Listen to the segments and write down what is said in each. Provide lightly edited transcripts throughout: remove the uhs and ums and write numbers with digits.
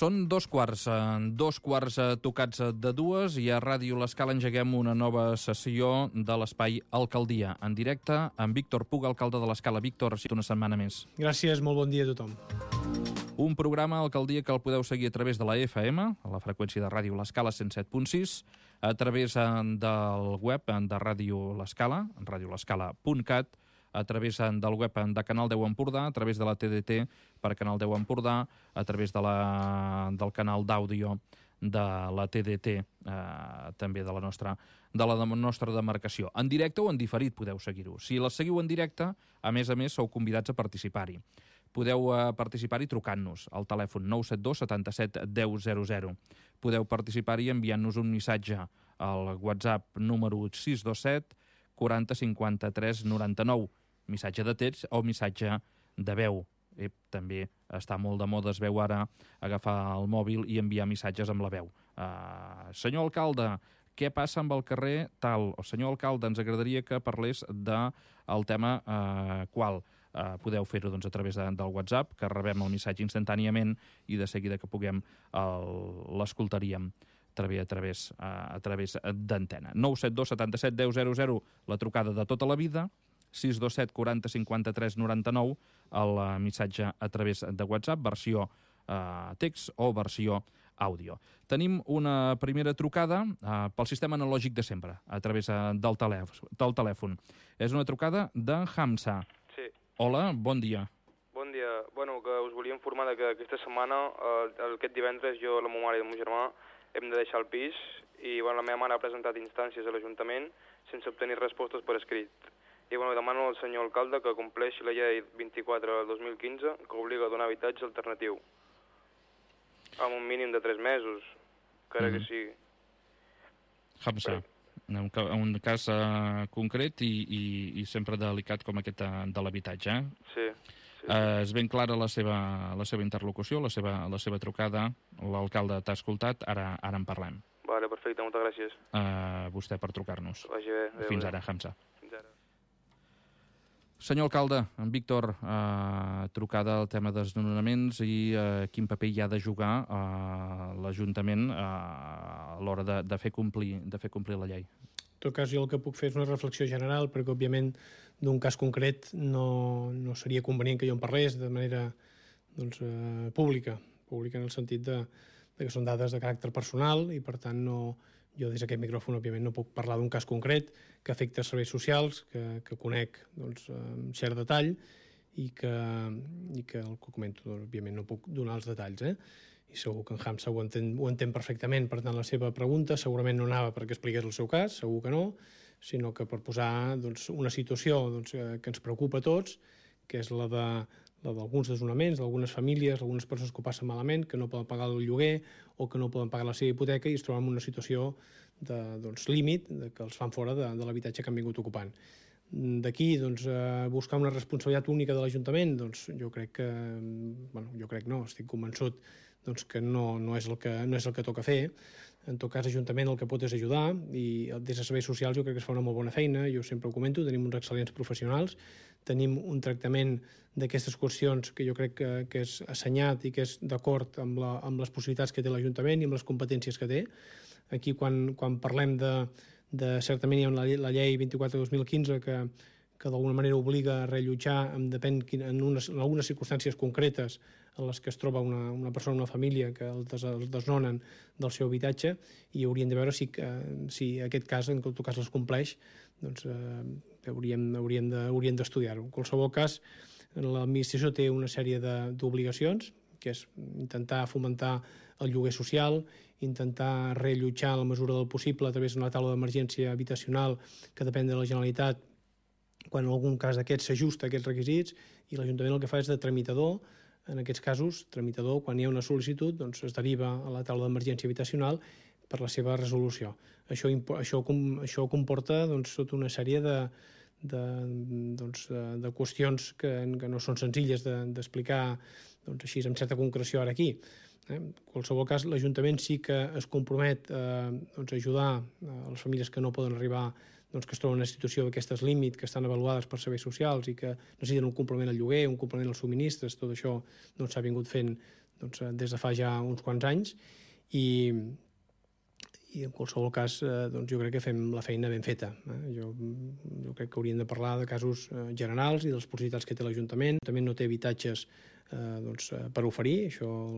Són dos quarts tocats de dues i a Ràdio L'Escala engeguem una nova sessió de l'Espai Alcaldia, en directe amb Víctor Puga, alcalde de l'Escala. Víctor, una setmana més. Gràcies, molt bon dia a tothom. Un programa Alcaldia que el podeu seguir a través de la FM, a la freqüència de Ràdio L'Escala 107.6, a través del web de Ràdio L'Escala, radiolescala.cat, a través del web de Canal 10 Empordà, a través de la TDT per Canal 10 Empordà, a través del canal d'àudio de la TDT, també de la nostra demarcació. En directe o en diferit podeu seguir-ho. Si la seguiu en directe, a més, sou convidats a participar-hi. Podeu participar-hi trucant-nos al telèfon 972 77 10 00. Podeu participar-hi enviant-nos un missatge al WhatsApp número 627 40 53 99. Missatge de text o missatge de veu. També està molt de moda, es veu ara, agafar el mòbil i enviar missatges amb la veu. Senyor alcalde, què passa amb el carrer tal? O senyor alcalde, ens agradaria que parlés del tema qual. Podeu fer-ho a través del WhatsApp, que rebem el missatge instantàniament i de seguida que puguem l'escoltaríem a través d'antena. 972 77 10 00, la trucada de tota la vida, 627 40 53 99, el missatge a través de WhatsApp, versió text o versió àudio. Tenim una primera trucada pel sistema analògic de sempre, a través del telèfon. És una trucada de Hamza. Sí. Hola, bon dia. Bon dia. Bueno, que us volia informar que aquesta setmana, aquest divendres, jo, la meva mare i el meu germà hem de deixar el pis i la meva mare ha presentat instàncies a l'Ajuntament sense obtenir respostes per escrit. I demano al senyor alcalde que compleixi la llei 24 del 2015 que obliga a donar habitatge alternatiu amb un mínim de 3 mesos, que que sigui. Hamza, un cas concret i sempre delicat com aquest de l'habitatge. Sí. És ben clara la seva interlocució, la seva trucada. L'alcalde t'ha escoltat, ara en parlem. Vale, perfecte, moltes gràcies. Vostè per trucar-nos. Vagi bé. Fins ara, Hamza. Fins ara. Senyor alcalde, en Víctor, trucada al tema dels desnonaments i quin paper hi ha de jugar l'Ajuntament a l'hora de fer complir la llei. En tot cas, jo el que puc fer és una reflexió general, perquè, òbviament, d'un cas concret no seria convenient que jo en parlés de manera pública en el sentit que són dades de caràcter personal i, per tant, jo des d'aquest micròfon, òbviament, no puc parlar d'un cas concret que afecta serveis socials, que conec amb cert detall i que el que comento, òbviament, no puc donar els detalls, i segur que en Hamza ho entén perfectament. Per tant, la seva pregunta segurament no anava perquè expliqués el seu cas, segur que no, sinó que per posar una situació que ens preocupa a tots, que és la d'alguns desnonaments, d'algunes famílies, algunes persones que ho passen malament, que no poden pagar el lloguer o que no poden pagar la seva hipoteca i es troben en una situació límit, que els fan fora de l'habitatge que han vingut ocupant. D'aquí, buscar una responsabilitat única de l'Ajuntament, jo crec que, estic convençut que no és el que toca fer. En tot cas, l'Ajuntament el que pot és ajudar i des de serveis socials jo crec que es fa una molt bona feina, jo sempre ho comento, tenim uns excel·lents professionals, tenim un tractament d'aquestes qüestions que jo crec que és assenyat i que és d'acord amb les possibilitats que té l'Ajuntament i amb les competències que té. Aquí, quan parlem certament hi ha la llei 24 de 2015 que d'alguna manera obliga a reallotjar en algunes circumstàncies concretes en les que es troba una persona, una família que el desnonen del seu habitatge i hauríem de veure si aquest cas, en tot cas, es compleix, hauríem d'estudiar-ho. En qualsevol cas, l'administració té una sèrie d'obligacions, que és intentar fomentar el lloguer social, intentar reallotjar en la mesura del possible a través d'una taula d'emergència habitacional que depèn de la Generalitat quan en algun cas d'aquests s'ajusta a aquests requisits, i l'Ajuntament el que fa és de tramitador. En aquests casos, tramitador, quan hi ha una sol·licitud, es deriva a la taula d'emergència habitacional per la seva resolució. Això comporta tota una sèrie de qüestions que no són senzilles d'explicar així amb certa concreció ara aquí. En qualsevol cas, l'Ajuntament sí que es compromet a ajudar a les famílies que no poden arribar, que es troben en una situació d'aquestes límit, que estan avaluades per serveis socials i que necessiten un complement al lloguer, un complement als subministres. Tot això s'ha vingut fent des de fa ja uns quants anys, i en qualsevol cas jo crec que fem la feina ben feta. Jo crec que hauríem de parlar de casos generals i de les possibilitats que té l'Ajuntament. També no té habitatges per oferir,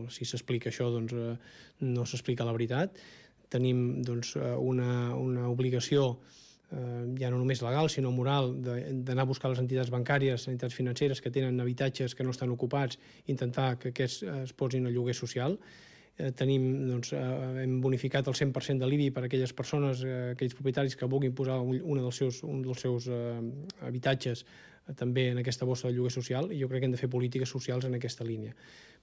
si s'explica això no s'explica la veritat. Tenim una obligació ja no només legal sinó moral d'anar a buscar les entitats bancàries, les entitats financeres que tenen habitatges que no estan ocupats, intentar que aquests es posin a lloguer social. Hem bonificat el 100% de l'IBI per a aquelles persones, aquells propietaris que vulguin posar un dels seus habitatges també en aquesta bossa de lloguer social, i jo crec que hem de fer polítiques socials en aquesta línia.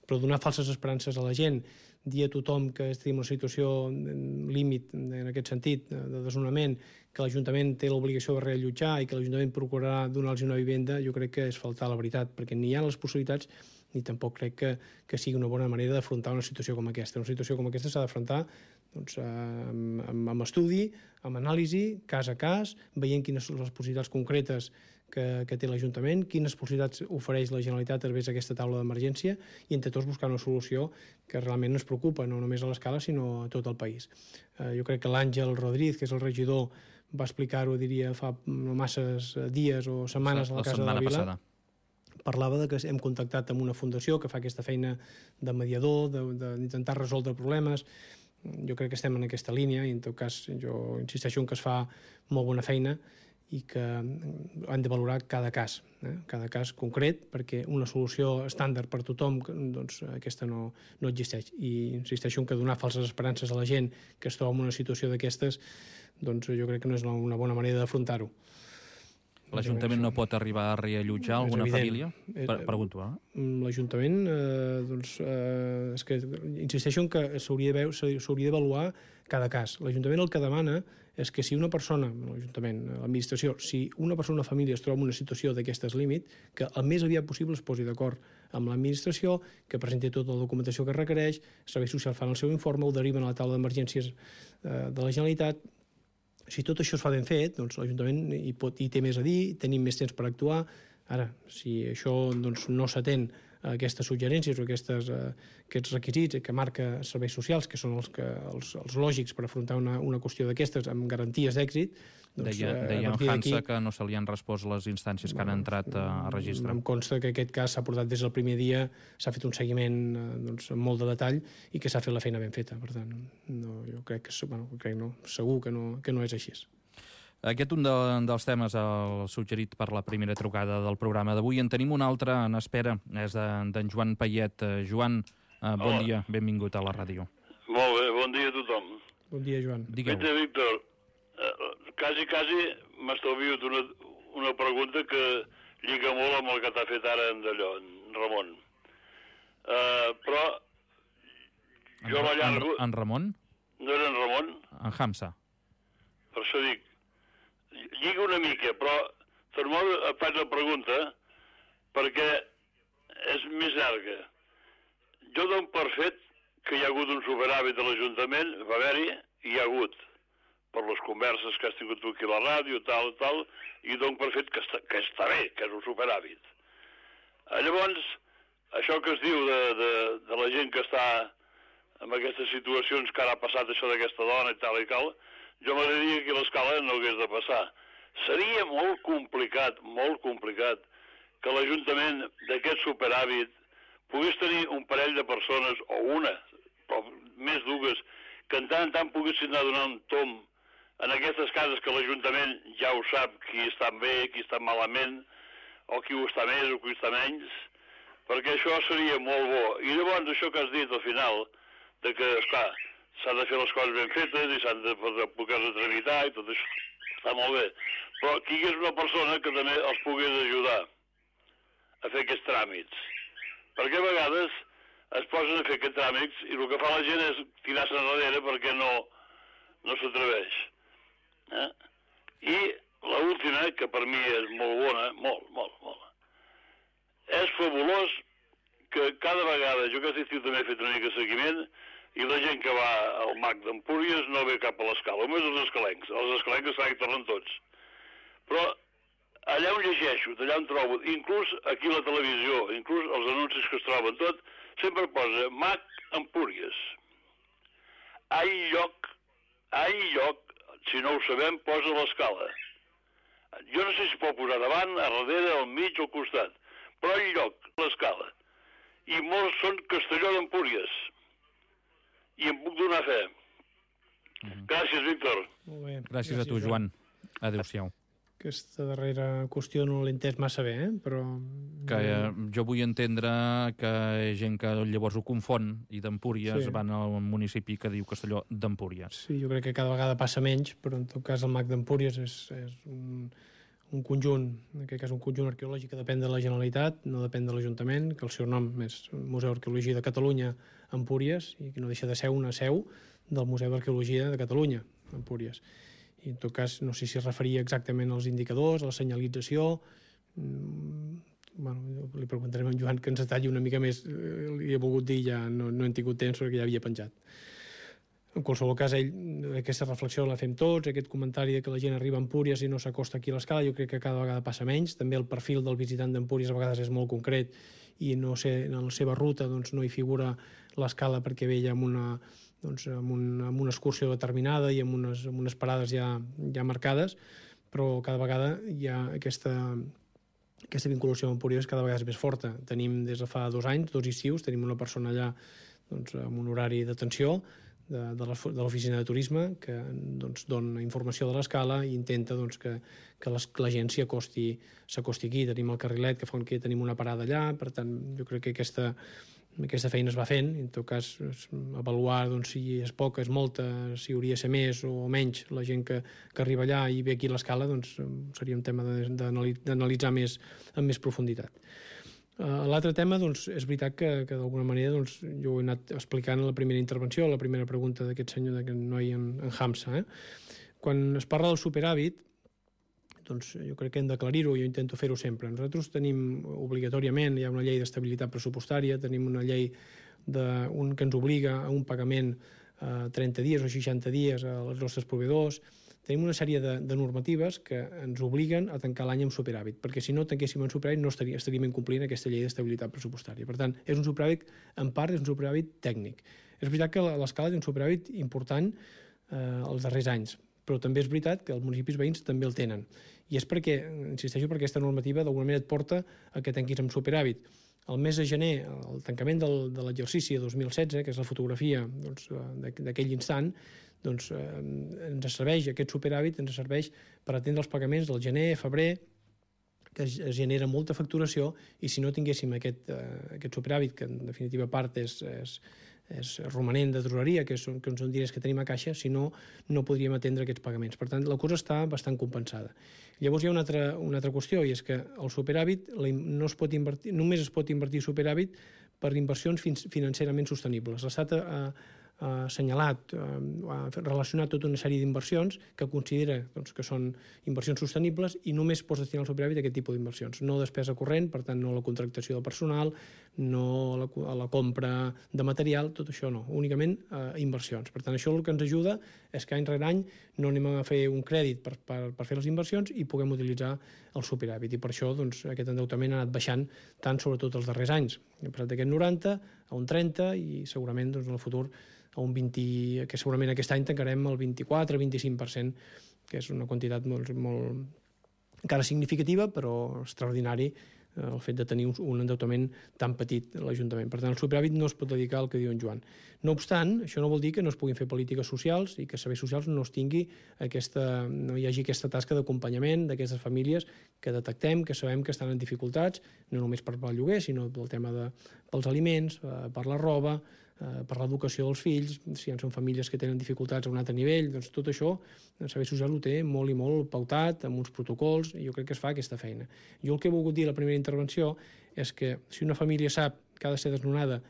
Però donar falses esperances a la gent, dir a tothom que estem en una situació límit en aquest sentit de desnonament, que l'Ajuntament té l'obligació de reallotjar i que l'Ajuntament procurarà donar-los una vivenda, jo crec que és faltar la veritat, perquè ni hi ha les possibilitats ni tampoc crec que sigui una bona manera d'afrontar una situació com aquesta. Una situació com aquesta s'ha d'afrontar amb estudi, amb anàlisi, cas a cas, veient quines són les possibilitats concretes que té l'Ajuntament, quines possibilitats ofereix la Generalitat a través d'aquesta taula d'emergència, i entre tots buscar una solució que realment ens preocupa, no només a l'Escala, sinó a tot el país. Jo crec que l'Àngel Rodríguez, que és el regidor, va explicar-ho, diria, fa no masses dies o setmanes a la Casa de la Vila. Parlava que hem contactat amb una fundació que fa aquesta feina de mediador, d'intentar resoldre problemes. Jo crec que estem en aquesta línia i en tot cas jo insisteixo en que es fa molt bona feina i que han de valorar cada cas concret, perquè una solució estàndard per tothom, aquesta no existeix. I insisteixo en que donar falses esperances a la gent que es troba en una situació d'aquestes, jo crec que no és una bona manera d'afrontar-ho. L'Ajuntament no pot arribar a reallotjar alguna família? Pregunto, L'Ajuntament, és que insisteixo en que s'hauria d'avaluar cada cas. L'Ajuntament el que demana és que si una persona, l'Ajuntament, l'administració, si una persona o una família es troba en una situació d'aquestes límit, que el més aviat possible es posi d'acord amb l'administració, que presenti tota la documentació que requereix, Serveis Socials fan el seu informe, ho deriven a la taula d'emergències de la Generalitat. Si tot això es fa ben fet, l'Ajuntament hi té més a dir, tenim més temps per actuar. Ara, si això no s'atén a aquestes suggerències o aquests requisits que marca Serveis Socials, que són els lògics per afrontar una qüestió d'aquestes amb garanties d'èxit... Deia en Hansa que no se li han respost les instàncies que han entrat a registre. Em consta que aquest cas s'ha portat des del primer dia, s'ha fet un seguiment amb molt de detall i que s'ha fet la feina ben feta. Per tant, jo crec que segur que no és així. Aquest un dels temes suggerit per la primera trucada del programa d'avui. En tenim un altre en espera, és d'en Joan Payet. Joan, bon dia, benvingut a la ràdio. Molt bé, bon dia a tothom. Bon dia, Joan. Digueu. Víctor, quasi m'estalvio una pregunta que lliga molt amb el que t'ha fet ara en Ramon. Però jo m'allargo... En Ramon? No era en Ramon? En Hamza. Per això dic, lliga una mica, però et faig la pregunta perquè és més llarga. Jo dono per fet que hi ha hagut un superàvit a l'Ajuntament, va haver-hi, i hi ha hagut, per les converses que has tingut tu aquí a la ràdio, tal, i dono per fet que està bé, que és un superàvit. Llavors, això que es diu de la gent que està en aquestes situacions que ara ha passat això d'aquesta dona i tal, jo m'agradaria que a l'Escala no hagués de passar. Seria molt complicat, que l'Ajuntament d'aquest superàvit pogués tenir un parell de persones, o una, però més dues, que en tant poguessin anar a donar un tomb en aquestes cases que l'Ajuntament ja ho sap qui està bé, qui està malament, o qui ho està més o qui ho està menys, perquè això seria molt bo. I llavors això que has dit al final, de que, esclar, s'han de fer les coses ben fetes i s'han de poder-se tramitar i tot això està molt bé. Però que hi hagués una persona que també els pogués ajudar a fer aquests tràmits. Perquè a vegades es posen a fer aquests tràmits i el que fa la gent és tirar-se enrere perquè no s'atreveix. I l'última, que per mi és molt bona, molt. És fabulós que cada vegada, jo aquest estiu també he fet una mica de seguiment, i la gent que va al MAC d'Empúries no ve cap a l'Escala, només els escalencs. Els escalencs s'han tornen tots. Però allà on llegeixo, allà on trobo, inclús aquí a la televisió, inclús els anuncis que es troben tot, sempre posa MAC Empúries. Ha lloc, si no ho sabem, posa l'escala. Jo no sé si pot posar davant, a darrere, al mig o al costat, però ha lloc, l'escala. I molts són Castelló d'Empúries. I em puc donar fe. Gràcies, Víctor. Molt bé. Gràcies a tu, Joan. Adéu-siau. Aquesta darrera qüestió no l'he entès massa bé, però... Que jo vull entendre que gent que llavors ho confon i d'Empúries van al municipi que diu Castelló d'Empúries. Sí, jo crec que cada vegada passa menys, però en tot cas el MAC d'Empúries és un conjunt, en aquest cas un conjunt arqueològic que depèn de la Generalitat, no depèn de l'Ajuntament, que el seu nom és Museu d'Arqueologia de Catalunya, Empúries, i que no deixa de ser una seu del Museu d'Arqueologia de Catalunya, Empúries. I en tot cas no sé si es referia exactament als indicadors, a la senyalització. Bueno, li preguntarem a en Joan que ens detalli una mica més. Li he volgut dir, ja no hem tingut temps perquè ja havia penjat. En qualsevol cas, aquesta reflexió la fem tots, aquest comentari que la gent arriba a Empúries i no s'acosta aquí a l'escala, jo crec que cada vegada passa menys. També el perfil del visitant d'Empúries a vegades és molt concret i no sé, en la seva ruta doncs, no hi figura l'escala perquè ve ja amb una excursió determinada i amb unes parades ja marcades, però cada vegada hi ha aquesta vinculació amb Empúries cada vegada és més forta. Tenim des de fa 2 anys, 2 estius, tenim una persona allà amb un horari d'atenció de l'oficina de turisme que dona informació de l'escala i intenta que la gent s'acosti aquí. Tenim el carrilet que fa que tenim una parada allà, per tant jo crec que aquesta feina es va fent, en tot cas avaluar si és poca, és molta, si hauria de ser més o menys la gent que arriba allà i ve aquí a l'escala, seria un tema d'analitzar amb més profunditat. L'altre tema, és veritat que d'alguna manera jo ho he anat explicant en la primera intervenció, la primera pregunta d'aquest senyor, d'aquest noi en Hamza. Quan es parla del superàvit, jo crec que hem d'aclarir-ho, jo intento fer-ho sempre. Nosaltres tenim obligatòriament, hi ha una llei d'estabilitat pressupostària, tenim una llei que ens obliga a un pagament a 30 dies o 60 dies als nostres proveïdors. Tenim una sèrie de normatives que ens obliguen a tancar l'any amb superàvit, perquè si no tanquéssim en superàvit no estaríem incomplint aquesta llei d'estabilitat pressupostària. Per tant, és un superàvit, en part, és un superàvit tècnic. És veritat que l'escala té un superàvit important els darrers anys, però també és veritat que els municipis veïns també el tenen. I és perquè, insisteixo, perquè aquesta normativa d'alguna manera et porta a que tanquis amb superàvit. El mes de gener, el tancament de l'exercici de 2016, que és la fotografia d'aquell instant, ens serveix, aquest superàvit ens serveix per atendre els pagaments del gener, febrer, que es genera molta facturació, i si no tinguéssim aquest superàvit, que en definitiva part és romanent de tresoreria, que són diners que tenim a caixa, si no, no podríem atendre aquests pagaments. Per tant, la cosa està bastant compensada. Llavors hi ha una altra qüestió, i és que el superàvit no es pot invertir, només es pot invertir superàvit per inversions financerament sostenibles. L'Estat ha assenyalat, ha relacionat tota una sèrie d'inversions que considera que són inversions sostenibles i només pots destinar al superàvit a aquest tipus d'inversions. No despesa corrent, per tant no la contractació de personal, no a la compra de material, tot això no, únicament inversions. Per tant, això el que ens ajuda és que any rere any no anem a fer un crèdit per fer les inversions i puguem utilitzar el superàvit. I per això aquest endeutament ha anat baixant tant sobretot els darrers anys. Hem passat d'aquest 90 a un 30 i segurament en el futur a un 20, que segurament aquest any tancarem el 24-25%, que és una quantitat molt encara significativa, però extraordinari el fet de tenir un endeutament tan petit a l'Ajuntament. Per tant, el superàvit no es pot dedicar al que diu en Joan. No obstant, això no vol dir que no es puguin fer polítiques socials i que serveis socials no hi hagi aquesta tasca d'acompanyament d'aquestes famílies que detectem, que sabem que estan en dificultats, no només per el lloguer, sinó pel tema pels aliments, per la roba, per l'educació dels fills, si són famílies que tenen dificultats a un altre nivell, doncs tot això el servei social ho té molt i molt pautat, amb uns protocols, i jo crec que es fa aquesta feina. Jo el que he volgut dir a la primera intervenció és que si una família sap que ha de ser desnonada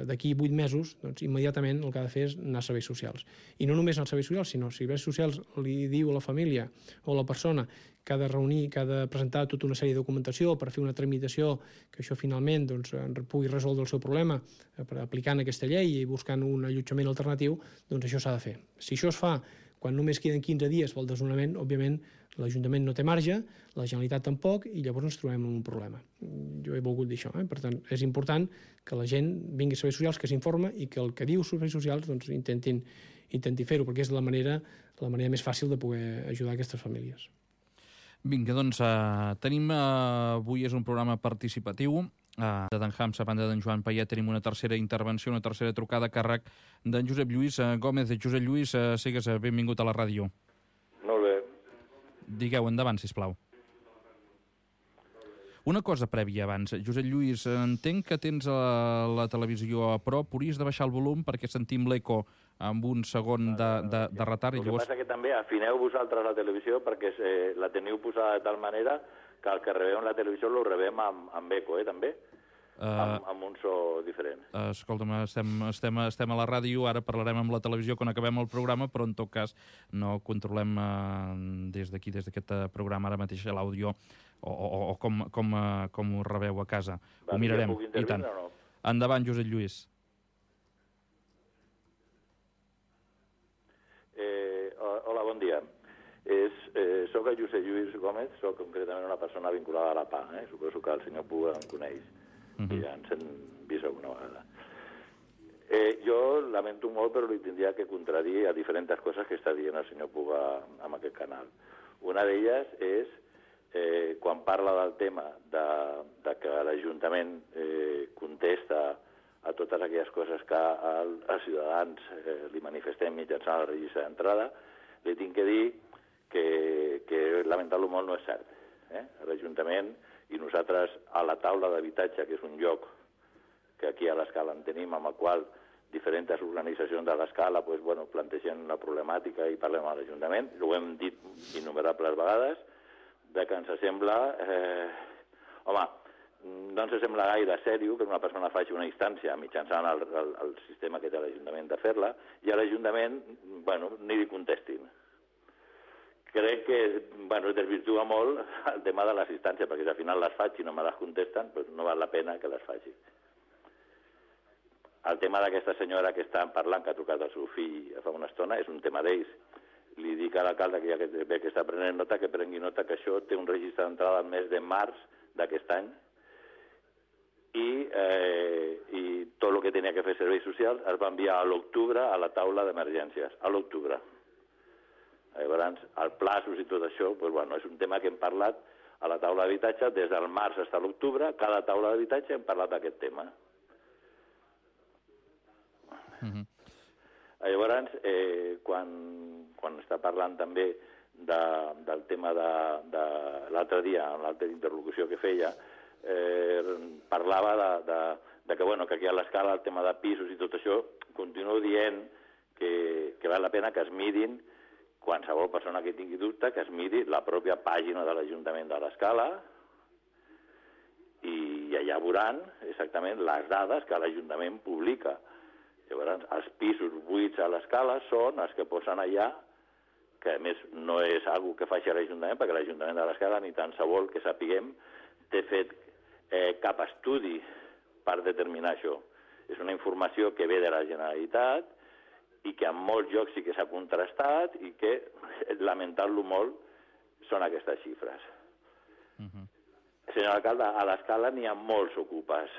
d'aquí 8 mesos, immediatament el que ha de fer és anar a serveis socials. I no només als serveis socials, sinó si serveis socials li diu a la família o a la persona que ha de reunir, que ha de presentar tota una sèrie de documentació per fer una tramitació que això finalment pugui resoldre el seu problema aplicant aquesta llei i buscant un allotjament alternatiu, doncs això s'ha de fer. Si això es fa quan només queden 15 dies pel desnonament, òbviament l'Ajuntament no té marge, la Generalitat tampoc, i llavors ens trobem en un problema. Jo he volgut dir això. Per tant, és important que la gent vingui a serveis socials, que s'informa i que el que diu serveis socials doncs, intenti fer-ho, perquè és la manera més fàcil de poder ajudar aquestes famílies. Vinga, doncs tenim avui és un programa participatiu de d'en Hams, a banda d'en Joan Payet tenim una tercera intervenció, una tercera trucada a càrrec d'en Josep Lluís Gómez. Josep Lluís, sigues benvingut a la ràdio. Molt bé. Digueu, endavant, sisplau. Una cosa prèvia abans. Josep Lluís, entenc que tens la televisió a prop, hauries de baixar el volum perquè sentim l'eco amb un segon de retard. El que passa que també afineu vosaltres la televisió perquè la teniu posada de tal manera que el que rebem la televisió lo rebem amb eco, també? Amb un so diferent. Escolta'm, estem a la ràdio, ara parlarem amb la televisió quan acabem el programa, però en tot cas no controlem des d'aquí, des d'aquest programa ara mateix l'àudio o com ho rebeu a casa. Ho mirarem, i tant. No? Endavant, Josep Lluís. Hola, bon dia. Soc el Josep Lluís Gómez, soc concretament una persona vinculada a la PA. Suposo que el senyor Puga em coneix. I ja ens hem vist alguna vegada. Jo lamento molt, però li tindria que contradir a diferents coses que està dient el senyor Puga en aquest canal. Una d'elles és quan parla del tema de que l'Ajuntament contesta a totes aquelles coses que els ciutadans li manifestem mitjançant el registre d'entrada, li tinc que dir que lamentar-lo molt no és cert. L'Ajuntament i nosaltres a la taula d'habitatge, que és un lloc que aquí a l'Escala en tenim, amb el qual diferents organitzacions de l'Escala plantegen una problemàtica i parlem a l'Ajuntament. Ho hem dit innumerables vegades, que ens sembla... no ens sembla gaire sèrio que una persona faci una instància mitjançant el sistema que té l'Ajuntament de fer-la i a l'Ajuntament, ni li contestin. Crec que es desvirtua molt el tema de les instàncies, perquè si al final les faig i no me les contesten, no val la pena que les faci. El tema d'aquesta senyora que està parlant, que ha trucat el seu fill fa una estona, és un tema d'ells. Li dic a l'alcalde que ja que està prenent nota, que prengui nota que això té un registre d'entrada al mes de març d'aquest any i tot el que tenia que fer serveis socials es va enviar a l'octubre a la taula d'emergències, a l'octubre. Llavors, els plaços i tot això, és un tema que hem parlat a la taula d'habitatge des del març fins a l'octubre. Cada taula d'habitatge hem parlat d'aquest tema. Llavors, quan està parlant també del tema de l'altre dia, en l'altra interlocució que feia, parlava que aquí a l'Escala el tema de pisos i tot això, continuo dient que val la pena que es mirin qualsevol persona que tingui dubte, que es miri la pròpia pàgina de l'Ajuntament de l'Escala i allà veuran exactament les dades que l'Ajuntament publica. Llavors, els pisos buits a l'Escala són els que posen allà, que a més no és algo que faci l'Ajuntament, perquè l'Ajuntament de l'Escala ni tan se vol que sapiguem té fet cap estudi per determinar això. És una informació que ve de la Generalitat i que en molts llocs sí que s'ha contrastat i que, lamentant-lo molt, són aquestes xifres. Senyor alcalde, a l'Escala n'hi ha molts ocupes.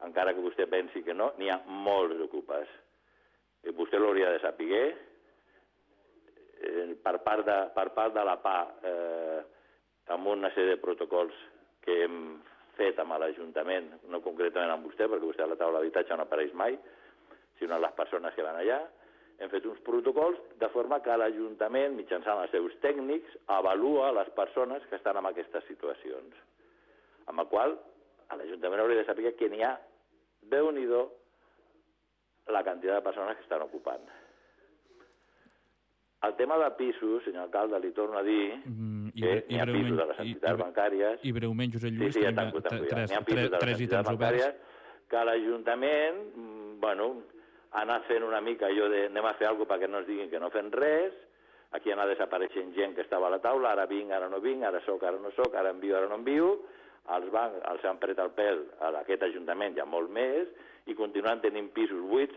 Encara que vostè pensi que no, n'hi ha molts ocupes. Vostè l'hauria de saber. Per part de la PA, amb una sèrie de protocols que hem fet amb l'Ajuntament, no concretament amb vostè, perquè vostè a la taula d'habitatge no apareix mai, sinó les persones que van allà, hem fet uns protocols de forma que l'Ajuntament, mitjançant els seus tècnics, avalua les persones que estan en aquestes situacions. Amb la qual l'Ajuntament hauria de saber que n'hi ha, Déu-n'hi-do, la quantitat de persones que estan ocupant. El tema de pisos, senyor alcalde, li torno a dir que n'hi ha pisos de les entitats bancàries... I breument, Josep Lluís, n'hi ha pisos de les entitats bancàries que l'Ajuntament, ha anat fent una mica allò de anem a fer alguna cosa perquè no ens diguin que no fem res, aquí ha anat desapareixent gent que estava a la taula, ara vinc, ara no vinc, ara soc, ara no soc, ara envio, ara no envio, els bancs els han pres el pèl a aquest Ajuntament ja molt més i continuen tenint pisos buits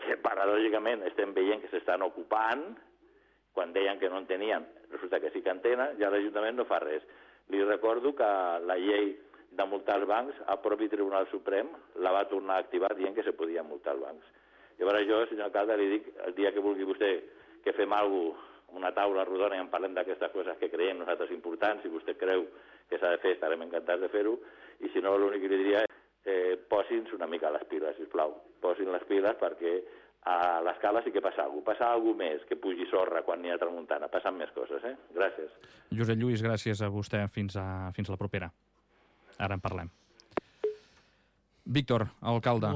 que paradògicament estem veient que s'estan ocupant, quan deien que no en tenien, resulta que sí que en tenen, i l'Ajuntament no fa res. Li recordo que la llei de multar els bancs, el propi Tribunal Suprem la va tornar a activar dient que se podia multar els bancs. Llavors jo, senyor alcalde, li dic, el dia que vulgui vostè que fem alguna cosa, una taula rodona i en parlem d'aquestes coses que creiem nosaltres importants, si vostè creu que s'ha de fer, estarem encantats de fer-ho, i si no, l'únic que li diria és posin-se una mica les piles, sisplau. Posin les piles perquè a l'escala sí que passa alguna cosa. Passa alguna més, que pugi sorra quan n'hi ha tramuntana. Passen més coses, Gràcies. Josep Lluís, gràcies a vostè. Fins la propera. Ara en parlem. Víctor, alcalde,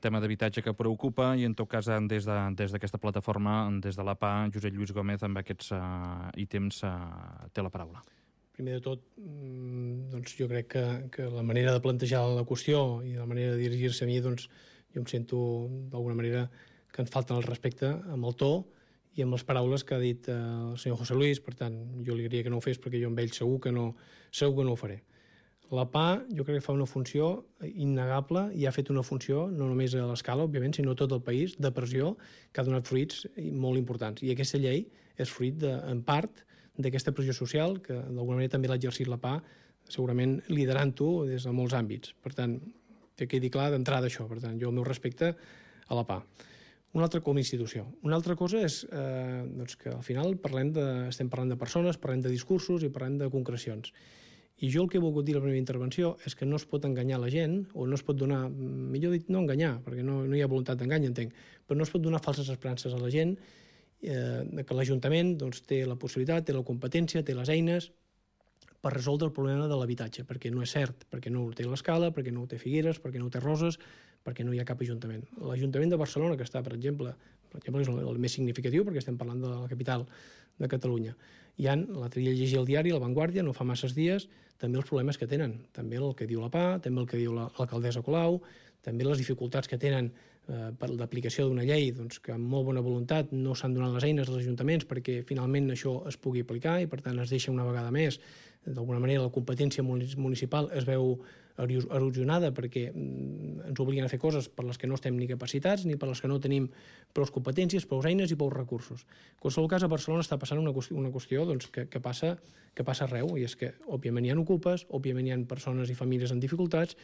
tema d'habitatge que preocupa i en tot cas des d'aquesta plataforma, des de l'APA, Josep Lluís Gómez, amb aquests ítems té la paraula. Primer de tot, doncs jo crec que la manera de plantejar la qüestió i la manera de dirigir-se a mi, doncs jo em sento d'alguna manera que ens falten el respecte amb el to i amb les paraules que ha dit el senyor José Luis. Per tant, jo li diria que no ho fes perquè jo amb ell segur que no ho faré. La PA jo crec que fa una funció innegable i ha fet una funció, no només a l'escala, òbviament, sinó a tot el país, de pressió, que ha donat fruits molt importants. I aquesta llei és fruit, en part, d'aquesta pressió social, que d'alguna manera també l'ha exercit la PA, segurament liderant-ho des de molts àmbits. Per tant, que quedi clar d'entrada això. Per tant, jo el meu respecte a la PA. Una altra com a institució. Una altra cosa és doncs que al final estem parlant de persones, parlem de discursos i parlem de concrecions. I jo el que he volgut dir a la primera intervenció és que no es pot enganyar la gent, o no es pot donar, millor dit, no enganyar, perquè no hi ha voluntat d'engany, entenc, però no es pot donar falses esperances a la gent, que l'Ajuntament doncs, té la possibilitat, té la competència, té les eines per resoldre el problema de l'habitatge, perquè no és cert, perquè no ho té l'Escala, perquè no ho té Figueres, perquè no ho té Roses, perquè no hi ha cap ajuntament. L'Ajuntament de Barcelona, que està, per exemple, és el més significatiu, perquè estem parlant de la capital de Catalunya. L'altre dia llegia el diari, La Vanguardia, no fa masses dies, també els problemes que tenen, també el que diu la PA, també el que diu l'alcaldessa Colau, també les dificultats que tenen per l'aplicació d'una llei, doncs, que amb molt bona voluntat no s'han donat les eines als ajuntaments perquè finalment això es pugui aplicar i per tant es deixa una vegada més, d'alguna manera la competència municipal es veu erosionada perquè ens obliguen a fer coses per les que no estem ni capacitats ni per les que no tenim prou competències, prou eines i prou recursos. En qualsevol cas, a Barcelona està passant una qüestió doncs, que passa arreu, i és que òbviament hi ha ocupes, òbviament hi ha persones i famílies en dificultats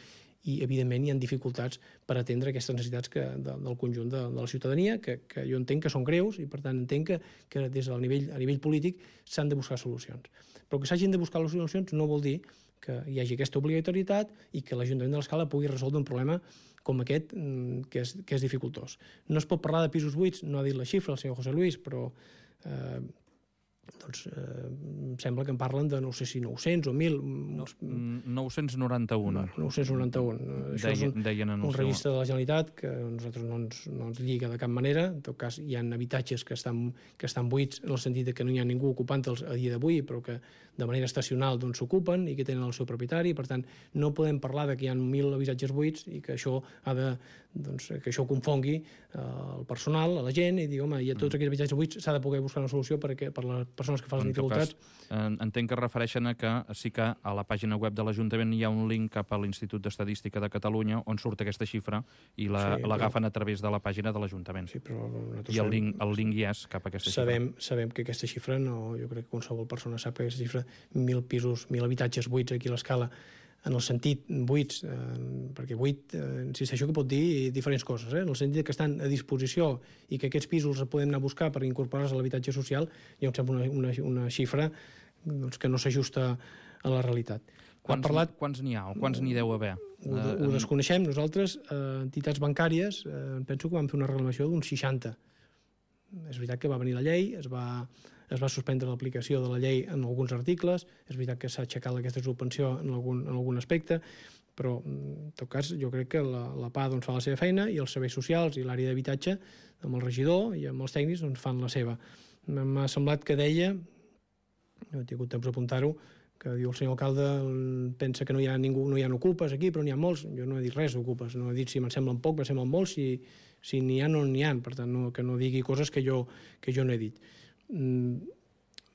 i evidentment hi ha dificultats per atendre aquestes necessitats del conjunt de la ciutadania, que jo entenc que són greus i per tant entenc que des del a nivell polític s'han de buscar solucions. Però que s'hagin de buscar les solucions no vol dir que hi hagi aquesta obligatorietat i que l'Ajuntament de l'Escala pugui resoldre un problema com aquest, que és dificultós. No es pot parlar de pisos buits, no ha dit la xifra el senyor José Luis, però em sembla que en parlen de, no sé si 900 o 1.000... 991. 991. Deien en un registre de la Generalitat que a nosaltres no ens lliga de cap manera. En tot cas, hi ha habitatges que estan buits en el sentit que no hi ha ningú ocupant-los a dia d'avui, però que de manera estacional s'ocupen i que tenen el seu propietari. Per tant, no podem parlar que hi ha 1.000 habitatges buits i que això que això confongui el personal, a la gent, i dir, home, hi ha tots aquests habitatges buits, s'ha de poder buscar una solució per les persones que fan les dificultats. Entenc que es refereixen a que sí que a la pàgina web de l'Ajuntament hi ha un link cap a l'Institut d'Estadística de Catalunya on surt aquesta xifra i l'agafen a través de la pàgina de l'Ajuntament. Sí, però I el link hi és cap a aquesta xifra. Sabem que aquesta xifra, jo crec que qualsevol persona sap que aquesta xifra, 1.000 pisos, 1.000 habitatges buits aquí a l'Escala, en el sentit buits, perquè buit, insisteixo que pot dir diferents coses, en el sentit que estan a disposició i que aquests pisos els podem anar a buscar per incorporar-los a l'habitatge social, ja em sembla una xifra que no s'ajusta a la realitat. Quants n'hi ha o quants n'hi deu haver? Ho desconeixem. Nosaltres, entitats bancàries, penso que vam fer una reclamació d'uns 60. És veritat que va venir la llei, es va suspendre l'aplicació de la llei en alguns articles, és veritat que s'ha aixecat aquesta suspensió en algun aspecte, però en tot cas jo crec que la PA fa la seva feina i els serveis socials i l'àrea d'habitatge amb el regidor i amb els tècnics fan la seva. M'ha semblat que deia, no he tingut temps d'apuntar-ho, que diu el senyor alcalde pensa que no hi ha ningú, no hi ha ocupes aquí, però n'hi ha molts. Jo no he dit res d'ocupes, no he dit si me'n semblen poc, me'n semblen molts, si n'hi ha o no n'hi ha, per tant que no digui coses que jo no he dit.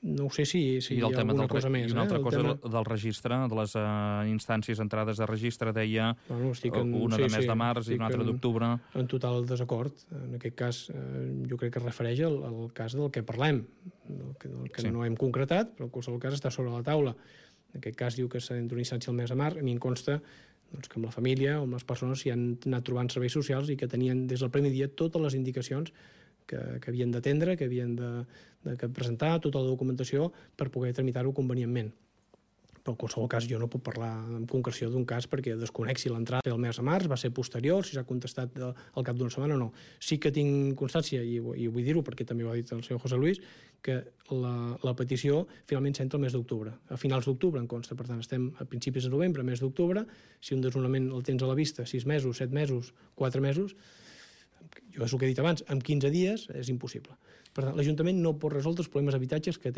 No ho sé si hi ha alguna cosa més. I una altra cosa del registre, de les instàncies entrades de registre, deia una de mes de març i una altra d'octubre. En total desacord. En aquest cas, jo crec que es refereix al cas del que parlem, del que no hem concretat, però en qualsevol cas està sobre la taula. En aquest cas diu que s'ha d'una instància al mes de març. A mi em consta que amb la família o amb les persones s'hi han anat trobant serveis socials i que tenien des del primer dia totes les indicacions que havien d'atendre, que havien de presentar, tota la documentació per poder tramitar-ho convenientment. Però en qualsevol cas jo no puc parlar amb concreció d'un cas perquè desconec si l'entrada del mes de març va ser posterior, si s'ha contestat al cap d'una setmana o no. Sí que tinc constància, i vull dir-ho perquè també ho ha dit el senyor José Luis, que la petició finalment s'entra el mes d'octubre. A finals d'octubre en consta, per tant estem a principis de novembre, mes d'octubre, si un desnonament el tens a la vista 6 mesos, 7 mesos, 4 mesos, jo és el que he dit abans, en 15 dies és impossible. Per tant, l'Ajuntament no pot resoldre els problemes d'habitatges que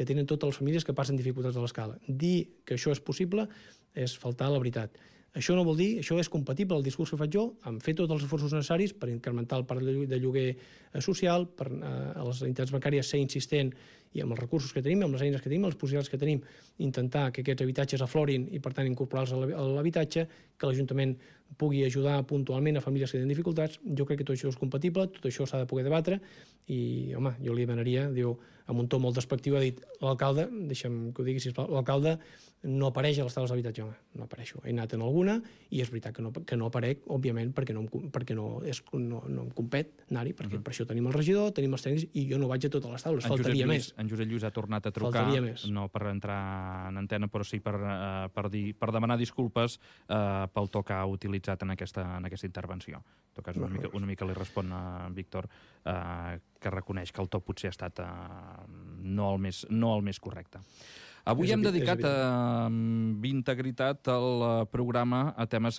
tenen totes les famílies que passen dificultats a l'escala. Dir que això és possible és faltar a la veritat. Això no vol dir, això és compatible al discurs que faig jo, amb fer tots els esforços necessaris per incrementar el parc de lloguer social, per a les entitats bancàries ser insistent i amb els recursos que tenim, amb les eines que tenim, les possibilitats que tenim, intentar que aquests habitatges aflorin i, per tant, incorporar-los a l'habitatge, que l'Ajuntament pugui ajudar puntualment a famílies que tenen dificultats. Jo crec que tot això és compatible, tot això s'ha de poder debatre i, home, jo li demanaria, diu, amb un to molt despectiu, ha dit l'alcalde, deixa'm que ho digui, sisplau, l'alcalde no apareix a les taules d'habitatge. Home, no apareixo. He anat en alguna i és veritat que no aparec, òbviament, perquè no em compet anar-hi, perquè per això tenim el regidor, tenim els tècnics i jo no vaig a totes les taules, faltaria més. En Josep Lluís ha tornat a trucar, no per entrar en antena, però sí per demanar disculpes pel to que ha utilitzat en aquesta intervenció. En tot cas, una mica li respon a Víctor, que reconeix que el to potser ha estat no el més correcte. Avui hem dedicat amb integritat el programa a temes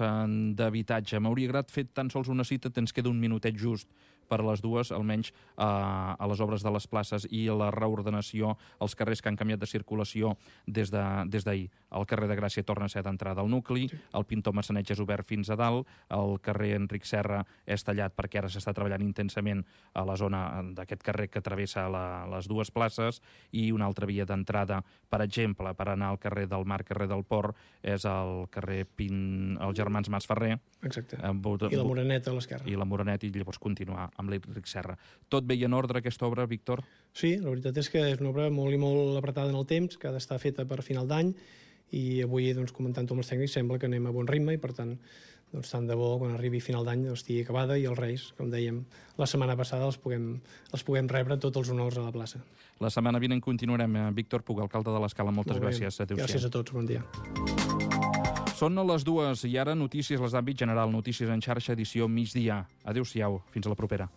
d'habitatge. M'hauria agradat fer tan sols una cita, ens queda un minutet just per a les dues, almenys a les obres de les places i a la reordenació als carrers que han canviat de circulació des d'ahir. El carrer de Gràcia torna a ser d'entrada al nucli, el Pintor Massaneig és obert fins a dalt, el carrer Enric Serra és tallat perquè ara s'està treballant intensament a la zona d'aquest carrer que travessa les dues places, i una altra via d'entrada, per exemple, per anar al carrer del Mar, carrer del Port, és el carrer els Germans Masferrer. Exacte. I la Moreneta a l'esquerra. I la Moreneta, i llavors continuar amb l'Enric Serra. Tot bé i en ordre, aquesta obra, Víctor? Sí, la veritat és que és una obra molt i molt apretada en el temps, que ha d'estar feta per final d'any, i avui, comentant-ho amb els tècnics, sembla que anem a bon ritme i, per tant, tant de bo, quan arribi final d'any, estigui acabada i els Reis, com dèiem la setmana passada, els puguem rebre tots els honors a la plaça. La setmana vinent continuarem. Víctor Puig, alcalde de l'Escala, moltes gràcies. Adéu-siau. Gràcies a tots, bon dia. Són les 2 i ara notícies, les d'àmbit general, notícies en xarxa, edició migdia. Adéu-siau, fins a la propera.